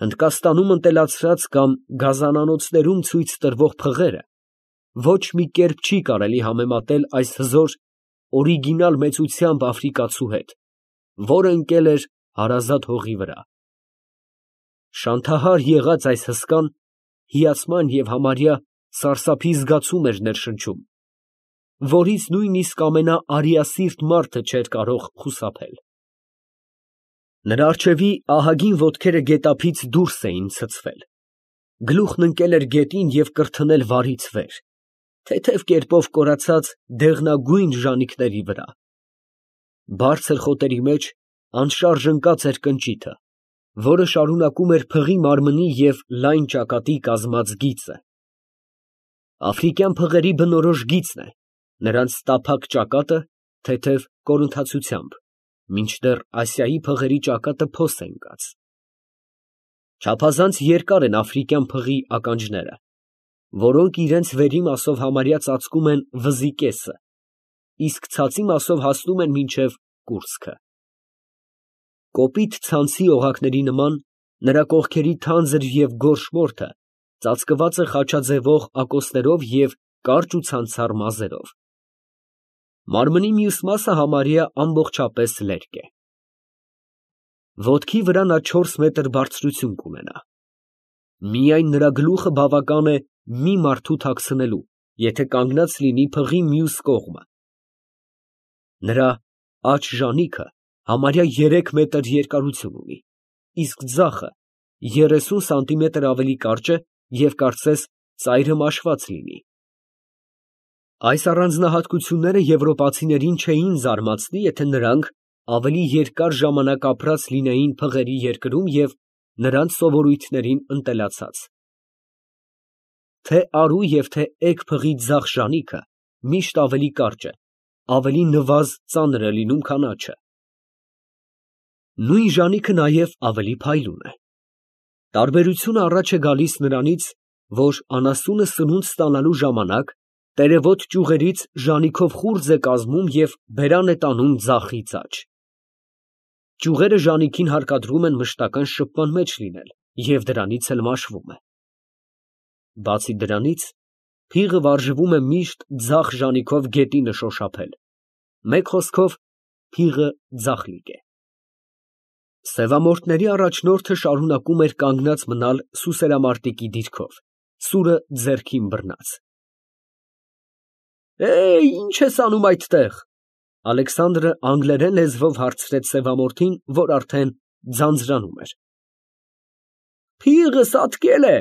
Հնդկաստանում ընտելացրած կամ գազանանոցներում ցույց տրվող փղերը ոչ մի կերպ չի կարելի համեմատել այս հզոր օրիգինալ մեծությամբ աֆրիկացու հետ, որը ընկել էր հարազատ հողի վրա։ Շանթահար եղած այս հսկան հիացման և համարյա սարսափի զգացում էր ներշնչում, որից նույնիսկ ամենաարիասիրտ մարդը չէր կարող խուսափել։ Նրա առջևի ահագին ոտքերը գետափից դուրս էին ցցվել, գլուխն ընկել էր գետին և կրթնել վարից վեր, թեթև կերպով կորացած դեղնագույն ժանիքների վրա։ Բարձր խոտերի մեջ անշարժ ընկած էր կնճիթը, որը շարունակում էր փղի մարմնի և լայն ճակատի կազմած գիծը։ Աֆրիկյան փղերի բնորոշ գիծն է նրանց տափակ ճակատը թեթև կորունթացությամբ, մինչդեռ Ասիայի փղերի ճակատը փոս է ընկած։ Չափազանց երկար են աֆրիկյան փղի ականջները, որոնք իրենց վերի մասով համարյա ծածկում են վզի կեսը, իսկ ցածի մասով հասնում են մինչև կուրծքը։ Կոպիտ ցանցի օղակների նման նրա կողքերի թանձր և գորշ մորթը ծածկված է խաչաձևող ակոսներով և կարճ ու ցանցառ մազերով։ Մարմնի մյուս մասը համարյա ամբողջապես լերկ է։ Ոտքի վրա նա 4 մետր բարձրություն կունենա։ Միայն նրա գլուխը բավական է մի մարդու թաքցնելու, եթե կանգնած լինի փղի մյուս կողմը։ Նրա աջ ժանիքը համարյա 3 մետր երկարություն ունի, իսկ ձախը 30 սանտիմետր ավելի կարճ է և կարծես ծայրը մաշված լինի։ Այս առանձնահատկությունները եվրոպացիներին չէին զարմացնի, եթե նրանք ավելի երկար ժամանակ ապրած լինեին փղերի երկրում և նրանց սովորույթներին ընտելացած։ Թե՛ արու և թե՛ էգ փղի ձախ ժանիքը միշտ ավելի կարճ է, ավելի նվազ ծանր է լինում, քան աջը։ Նույն ժանիքը նաև ավելի փայլուն է։ Տարբերությունը առաջ է գալիս նրանից, որ անասունը սնունդ ստանալու ժամանակ տերևոտ ճյուղերից ժանիքով խուրձ է կազմում և բերան է տանում ձախից աջ։ Ճյուղերը ժանիքին հարկադրում են մշտական շփման մեջ լինել և դրանից էլ մաշվում է։ Բացի դրանից, փիղը վարժվում է միշտ ձախ ժանիքով գետինը շոշափել, մեկ խոսքով փիղը ձախլիկ է։ Սևամորթների առաջնորդը շարունակում էր կանգնած մնալ սուսերամարտիկի դիրքով, սուրը ձեռքին բռնած։ Ինչ ես անում այդտեղ։ Ալեքսանդրը անգլերեն լեզվով հարցրեց սևամորթին, որ արդեն ձանձրանում էր։ Փիղը սատկել է,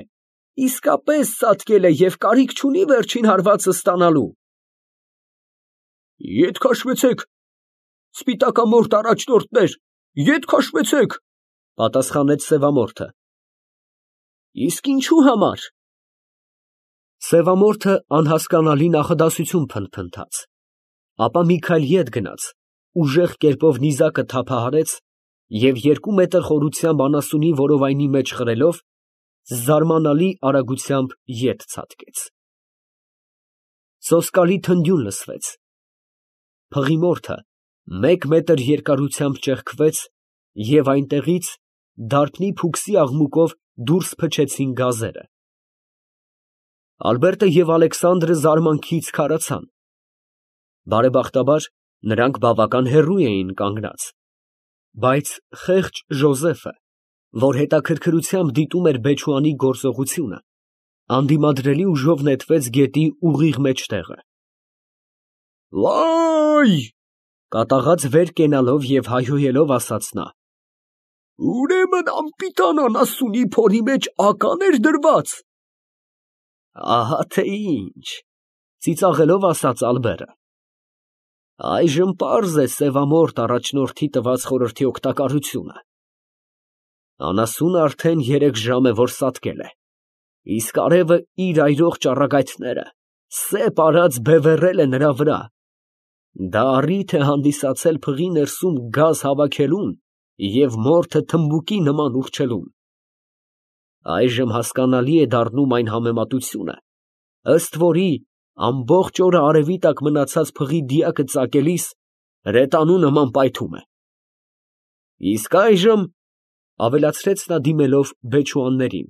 իսկապես սատկել է և կարիք չունի վերջին հարվածը ստանալու։ Ետ քաշվեցեք, սպիտակամորթ առաջնորդներ, ետ քաշվեցեք, պատասխանեց սևամորթը։ Իսկ ինչու համար։ Սևամորթը անհասկանալի նախադասություն փնթփնթաց, ապա մի քայլ ետ գնաց, ուժեղ կերպով նիզակը թափահարեց և 2 մետր խորությամբ անասունի որովայնի մեջ խրելով, զարմանալի արագությամբ ետ ցատկեց։ Սոսկալի թնդյուն լսվեց։ Փղի մորթը 1 մետր երկարությամբ ճեղքվեց և այնտեղից դարբնի փուքսի աղմուկով դուրս փչեցին գազերը։ Ալբերտը և Ալեքսանդրը զարմանքից քարացան։ Բարեբախտաբար, նրանք բավական հեռու էին կանգնած, բայց խեղճ Ժոզեֆը, որ հետաքրքրությամբ դիտում էր Բեչուանի գործողությունը, անդիմադրելի ուժով նետվեց գետի ուղիղ մեջտեղը։ Վայ… կատաղած վեր կենալով և հայհոյելով ասաց նա. Ուրեմն անպիտան անասունի փորի մեջ ական էր դրված։ Ահա թե ինչ, ծիծաղելով ասաց Ալբերը։ Այժմ պարզ է սևամորթ առաջնորդի տված խորհրդի օգտակարությունը։ Անասունը արդեն 3 ժամ է, որ սատկել է, իսկ արևը իր այրող ճառագայթները սեպ արած բևեռել է նրա վրա։ Դա առիթ է հանդիսացել փղի ներսում գազ հավաքելուն և մորթը թմբուկի նման ուռչելուն։ Այժմ հասկանալի է դառնում այն համեմատությունը, ըստ որի ամբողջ օրը արևի տակ մնացած փղի դիակը ծակելիս հրետանու նման պայթում է։ Իսկ այժմ Ավելացրեց նա դիմելով բեչուաններին.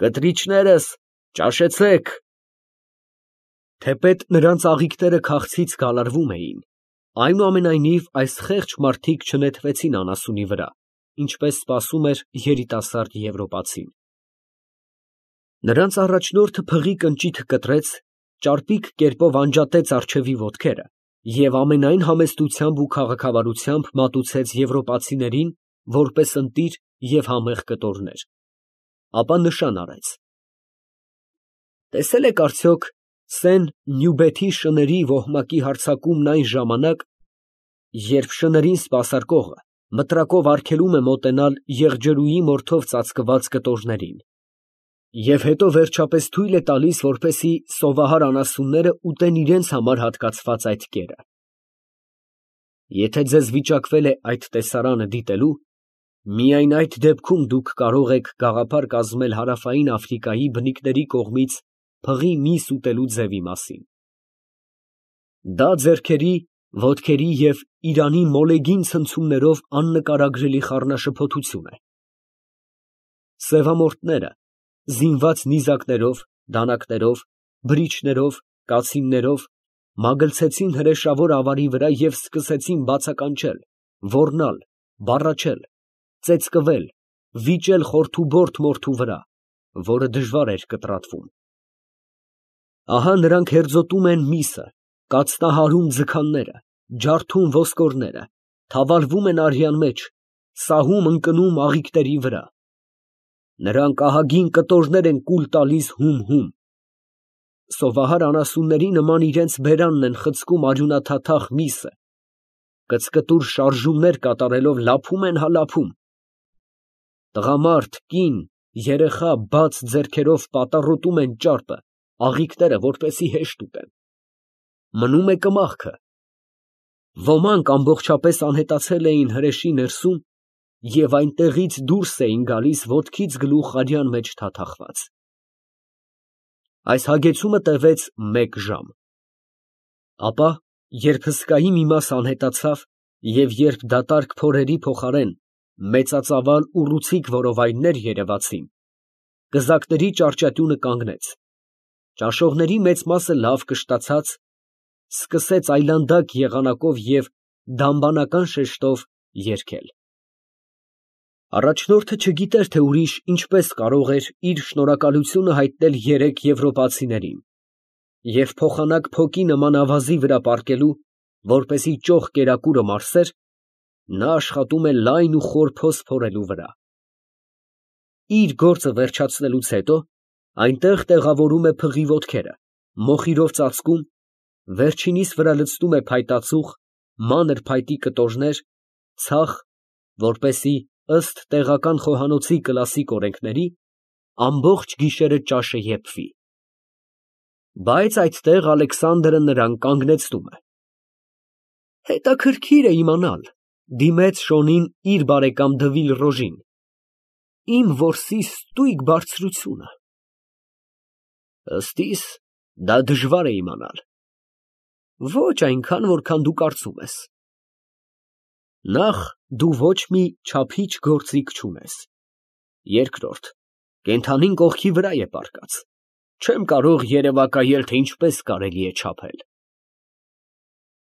Կտրիչներս, ճաշեցեք։ Թեպետ նրանց աղիքները քաղցից գալարվում էին, այնուամենայնիվ այս խեղճ մարդիկ չնետվեցին անասունի վրա, ինչպես սպասում էր երիտասարդ եվրոպացին։ Նրանց առաջնորդը փղի կնճիթը կտրեց, ճարպիկ կերպով անջատեց առջևի ոտքերը և ամենայն համեստությամբ ու քաղաքավարությամբ մատուցեց եվրոպացիներին, որպես ընտիր և համեղ կտորներ, ապա նշան արեց. Տեսե՞լ եք արդյոք Սեն֊Նյուբեթի շների ոհմակի հարձակումն այն ժամանակ, երբ շներին սպասարկողը մտրակով արգելում է մոտենալ եղջերուի մորթով ծածկված կտորներին, և հետո վերջապես թույլ է տալիս, որպեսզի սովահար անասունները ուտեն իրենց համար հատկացված այդ կերը։ Եթե ձեզ վիճակվել է այդ տեսարանը դիտելու, միայն այդ դեպքում դուք կարող եք գաղափար կազմել հարավային Աֆրիկայի բնիկների կողմից փղի միս ուտելու ձևի մասին։ Դա ձեռքերի, ոտքերի և իրանի մոլեգին ցնցումներով աննկարագրելի խառնաշփոթություն է։ Սևամորթները, զինված նիզակներով, դանակներով, բրիչներով, կացիններով, մագլցեցին հրեշավոր ավարի վրա և սկսեցին բացականչել, ոռնալ, բառաչել, ծեծկվել, վիճել խորթուբորթ մորթու վրա, որը դժվար էր կտրատվում։ Ահա նրանք հերձոտում են միսը, կաթնահարում ձգանները, ջարդում ոսկորները, թավալվում են արյան մեջ, սահում ընկնում աղիքների վրա։ Նրանք ահագին կտորներ են կուլ տալիս հում։ Սովահար անասունների նման իրենց բերանն են խցկում արյունաթաթախ միսը, կծկտուր շարժումներ կատարելով լափում են հա լափում։ Տղամարդ, կին, երեխա բաց ձեռքերով պատառոտում են ճարպը, աղիքները, որպեսզի հեշտ ուտեն։ Մնում է կմախքը։ Ոմանք ամբողջապես անհետացել էին հրեշի ներսում և այնտեղից դուրս էին գալիս ոտքից գլուխ արյան մեջ թաթախված։ Այս հագեցումը տևեց 1 ժամ։ Ապա, երբ հսկայի մի մասը անհետացավ և երբ դատարկ փորերի փոխարեն մեծածավալ ուռուցիկ որովայններ երևացին, կզակների ճարճատյունը կանգնեց, ճաշողների մեծ մասը լավ կշտացած, սկսեց այլանդակ եղանակով և դամբանական շեշտով երգել։ Առաջնորդը չգիտեր, թե ուրիշ ինչպես կարող էր իր շնորհակալությունը հայտնել 3 եվրոպացիներին, և փոխանակ փոկի նման ավազի վրա պառկելու, որպեսզի ճոխ կերակուրը մարսեր, նա աշխատում է լայն ու խոր փոս փորելու վրա։ Իր գործը վերջացնելուց հետո այնտեղ տեղավորում է փղի ոտքերը, մոխիրով ծածկում, վերջինիս վրա լցնում է փայտածուխ, մանր փայտի կտորներ, ցախ, որպեսզի ըստ տեղական խոհանոցի կլասիկ օրենքների ամբողջ գիշերը ճաշը եփվի։ Բայց այդտեղ Ալեքսանդրը նրան կանգնեցնում է։ Հետաքրքիր է իմանալ, դիմեց շոնին իր բարեկամ Դվիլ իմ որսի ստույգ բարձրությունը։ Ըստ իս, դա դժվար է իմանալ։ Ոչ այնքան, որքան դու կարծում ես։ Նախ, դու ոչ մի չափիչ գործիք չունես։ Երկրորդ, կենդանին կողքի վրա է պառկած, չեմ կարող երևակայել, թե ինչպես կարելի է չափել։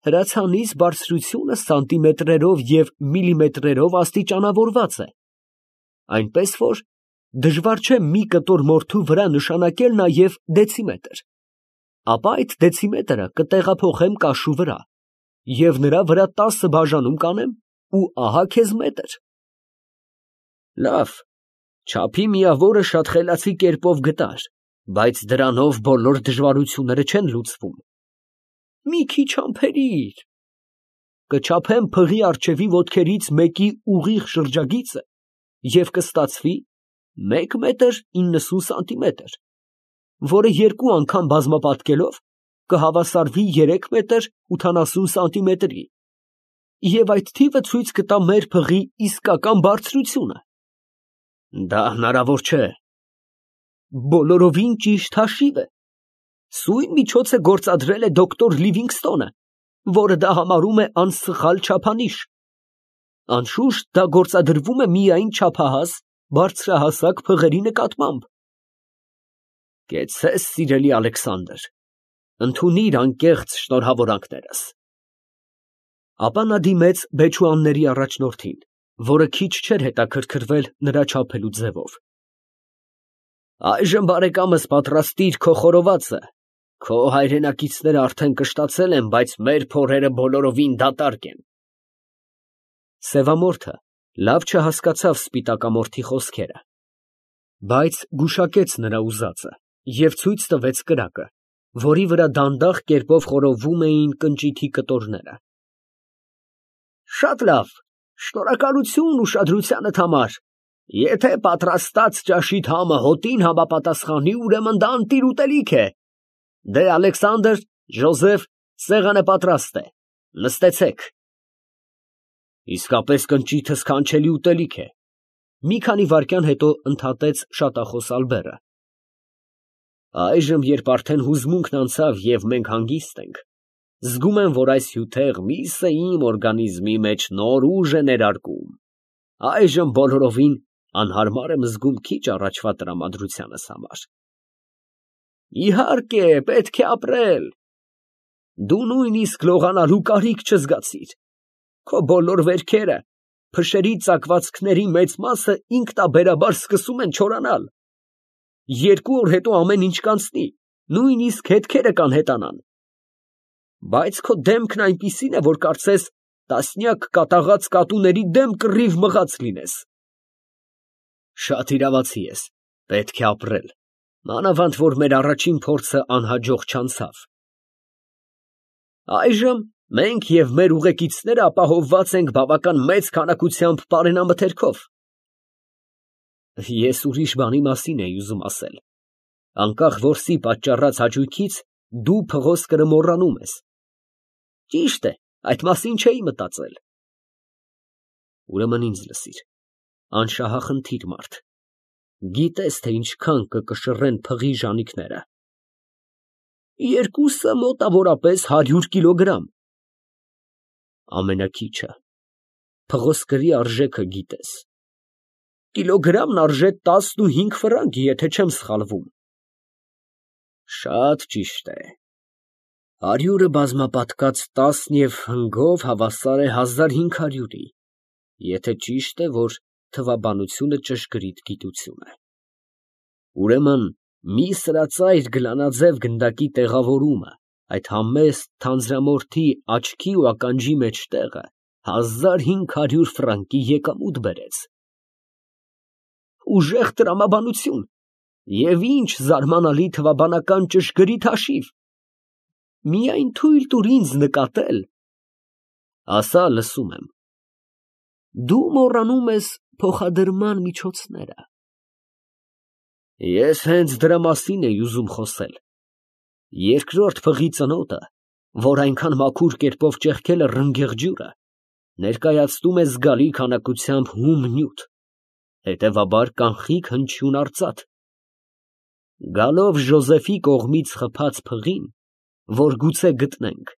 Հրացանիս բարձրությունը սանտիմետրերով և միլիմետրերով աստիճանավորված է, այնպես որ դժվար չէ մի կտոր մորթու վրա նշանակել նաև դեցիմետր, ապա այդ դեցիմետրը կտեղափոխեմ կաշու վրա և նրա վրա 10 բաժանում կանեմ ու ահա քեզ մետր։ Լավ, չափի միավորը շատ խելացի կերպով գտար, բայց դրանով բոլոր դժվարությունները չեն լուծվում։ Մի քիչ համբերիր, կչափեմ փղի առջևի ոտքերից մեկի ուղիղ շրջագիծը և կստացվի 1 մետր 90 սանտիմետր, որը 2 անգամ բազմապատկելով կհավասարվի 3 մետր 80 սանտիմետրի, և այդ թիվը ցույց կտա մեր փղի իսկական բարձրությունը։ Դա հնարավոր չէ։ Բոլորովին ճիշտ հաշիվ է։ Սույն միջոցը գործադրել է դոկտոր Լիվինգստոնը, որը դա համարում է անսխալ չափանիշ։ Անշուշտ դա գործադրվում է միայն չափահաս, բարձրահասակ փղերի նկատմամբ։ Կեցցես, սիրելի Ալեքսանդր, ընդունիր անկեղծ շնորհավորանքներս։ Ապա նա դիմեց բեչուանների առաջնորդին, որը քիչ չէր հետաքրքրվել նրա չափելու ձևով։ Այժմ բարեկամս պատրաստիր քո խորովածը, քո հայրենակիցները արդեն կշտացել են, բայց մեր փորերը բոլորովին դատարկ են։ Սևամորթը լավ չհասկացավ սպիտակամորթի խոսքերը, բայց գուշակեց նրա ուզածը և ցույց տվեց կրակը, որի վրա դանդաղ կերպով խորովվում էին կնճիթի կտորները։ Շատ լավ, շնորհակալություն ուշադրությանդ համար։ Եթե պատրաստած ճաշիդ համը հոտին համապատասխանի, ուրեմն դա ընտիր ուտելիք է։ Դե, Ալեքսանդր, Ժոզեֆ, սեղանը պատրաստ է, նստեցեք։ Իսկապես կնճիթը սքանչելի ուտելիք է, մի քանի վայրկյան հետո ընդհատեց շատախոս Ալբերը։ Այժմ, երբ արդեն հուզմունքն անցավ և մենք հանգիստ ենք, զգում եմ, որ այս հյութեղ միսը իմ օրգանիզմի մեջ նոր ուժ է ներարկում։ Այժմ բոլորովին անհարմար եմ զգում քիչ առաջվա տրամադրությանս համար։ Իհարկե, պետք է ապրել։ Դու նույնիսկ լողանալու կարիք չզգացիր։ Քո բոլոր վերքերը, փշերի ծակվածքների մեծ մասը ինքնաբերաբար սկսում են չորանալ։ 2 օր հետո ամեն ինչ կանցնի, նույնիսկ հետքերը կանհետանան։ Բայց քո դեմքն այնպիսին է, որ կարծես տասնյակ կատաղած կատուների դեմ կռիվ մղած լինես։ Շատ իրավացի ես, պետք է ապրել, մանավանդ որ մեր առաջին փորձը անհաջող չանցավ։ Այժմ մենք և մեր ուղեկիցները ապահովված ենք բավական մեծ քանակությամբ պարենամթերքով։ Ես ուրիշ բանի մասին էի ուզում ասել, անկախ որսի պատճառած հաճույքից դու փղոսկրը մոռանում ես։ Ճիշտ է, այդ մասին չէի մտածել։ Ուրեմն ինձ լսիր, անշահախնդիր մարդ, գիտես, թե ինչքան կկշռեն փղի ժանիքները։ 2-ը մոտավորապես 100 կիլոգրամ։ Ամենաքիչը, փղոսկրի արժեքը գիտես։ Կիլոգրամն արժե 15 ֆրանկ, եթե չեմ սխալվում։ Շատ ճիշտ է։ 100-ը բազմապատկած 10 և հնգով հավասար է 1500-ի, եթե ճիշտ է, որ թվաբանությունը ճշգրիտ գիտություն է։ Ուրեմն մի սրածայր գլանաձև գնդակի տեղավորումը այդ համեստ թանձրամորթի աչքի ու ականջի մեջտեղը 1500 ֆրանկի եկամուտ բերեց։ Ուժեղ տրամաբանություն և ինչ զարմանալի թվաբանական ճշգրիտ հաշիվ։ Միայն թույլ տուր ինձ նկատել։ Ասա, լսում եմ։ Դու մոռանում ես փոխադրման միջոցները։ Ես հենց դրա մասին էի ուզում խոսել։ Երկրորդ փղի ծնոտը, որ այնքան մաքուր կերպով ճեղքել է ռնգեղ ջուրը, ներկայացնում է զգալի քանակությամբ հում նյութ, հետևաբար կանխիկ հնչյուն արծաթ։ Գալով Ժոզեֆի կողմից խփած փղին, որ գուցե գտնենք,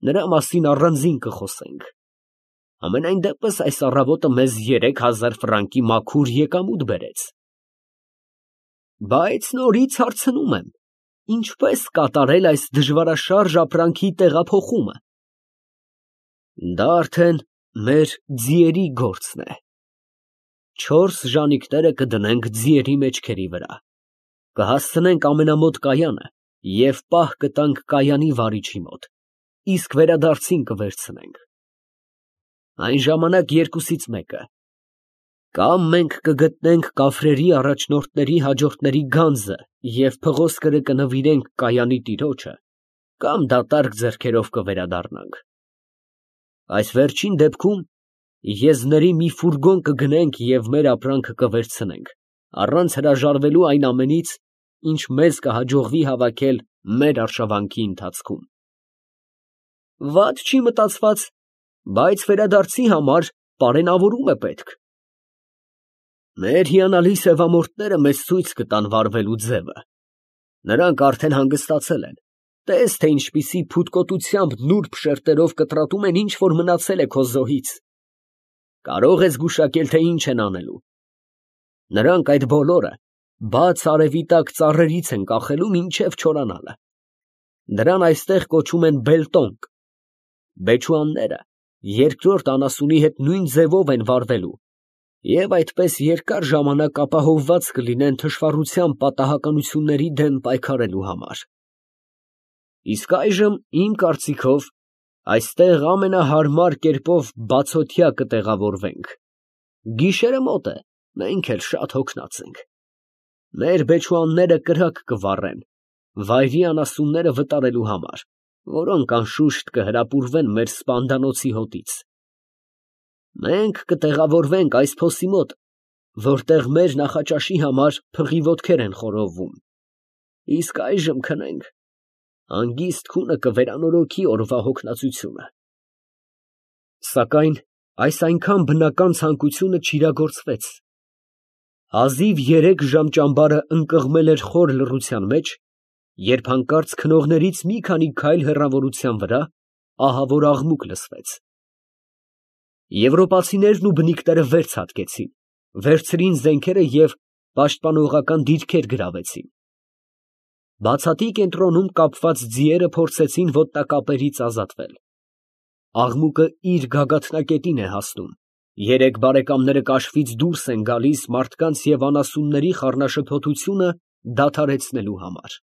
նրա մասին առանձին կխոսենք։ Համենայն դեպս այս առավոտը մեզ 3000 ֆրանկի մաքուր եկամուտ բերեց։ Բայց նորից հարցնում եմ, ինչպես կատարել այս դժվարաշարժ ապրանքի տեղափոխումը։ Դա արդեն մեր ձիերի գործն է։ 4 ժանիքները կդնենք ձիերի մեջքերի վրա, կհասցնենք ամենամոտ կայանը և պահ կտանք կայանի վարիչի մոտ, իսկ վերադարձին կվերցնենք։ Այն ժամանակ երկուսից մեկը. կամ մենք կգտնենք կաֆրերի առաջնորդների հաջորդների գանձը և փղոսկրը կնվիրենք կայանի տիրոջը, կամ դատարկ ձեռքերով կվերադառնանք։ Այս վերջին դեպքում եզների մի ֆուրգոն կգնենք և մեր ապրանքը կվերցնենք, առանց հրաժարվելու այն ամենից, ինչ մեզ կհաջողվի հավաքել մեր արշավանքի ընթացքում։ Վատ չի մտածված, բայց վերադարձի համար պարենավորում է պետք։ Մեր հիանալի սևամորթները մեզ ցույց կտան վարվելու ձևը։ Նրանք արդեն հանգստացել են, տես, թե ինչպիսի փութկոտությամբ նուրբ շերտերով կտրատում են ինչ որ մնացել է քո զոհից։ Կարող ես գուշակել, թե ինչ են անելու։ Նրանք այդ բոլորը բաց արևի տակ ծառերից են կախելու մինչև չորանալը։ Դրան այստեղ կոչում են բելտոնք։ Բեչուանները երկրորդ անասունի հետ նույն ձևով են վարվելու և այդպես երկար ժամանակ ապահովված կլինեն թշվառության պատահականությունների դեմ պայքարելու համար։ Իսկ այժմ, իմ կարծիքով, այստեղ ամենահարմար կերպով բացօթյա կտեղավորվենք։ Գիշերը մոտ է, մենք էլ շատ հոգնած ենք։ Մեր բեչուանները կրակ կվառեն, վայրի անասունները վտարելու համար, որոնք անշուշտ կհրապուրվեն մեր սպանդանոցի հոտից։ Մենք կտեղավորվենք այս փոսի մոտ, որտեղ մեր նախաճաշի համար փղի ոտքեր են խորովվում։ Իսկ այժմ քնենք, հանգիստ քունը կվերանորոգի օրվա հոգնածությունը։ Սակայն այս այնքան բնական ցանկությունը չիրագործվեց։ Հազիվ 3 ժամ ճամբարը ընկղմել էր խոր լռության մեջ, երբ հանկարծ քնողներից մի քանի քայլ հեռավորության վրա ահավոր աղմուկ լսվեց։ Եվրոպացիներն ու բնիկները վեր ցատկեցին, վերցրին զենքերը և պաշտպանողական դիրքեր գրավեցին։ Բացատի կենտրոնում կապված ձիերը փորձեցին ոտնակապերից ազատվել։ Աղմուկը իր գագաթնակետին է հասնում, երեք բարեկամները կաշվից դուրս են գալիս մարդկանց և անասունների խառնաշփոթությունը դադարեցնելու համար։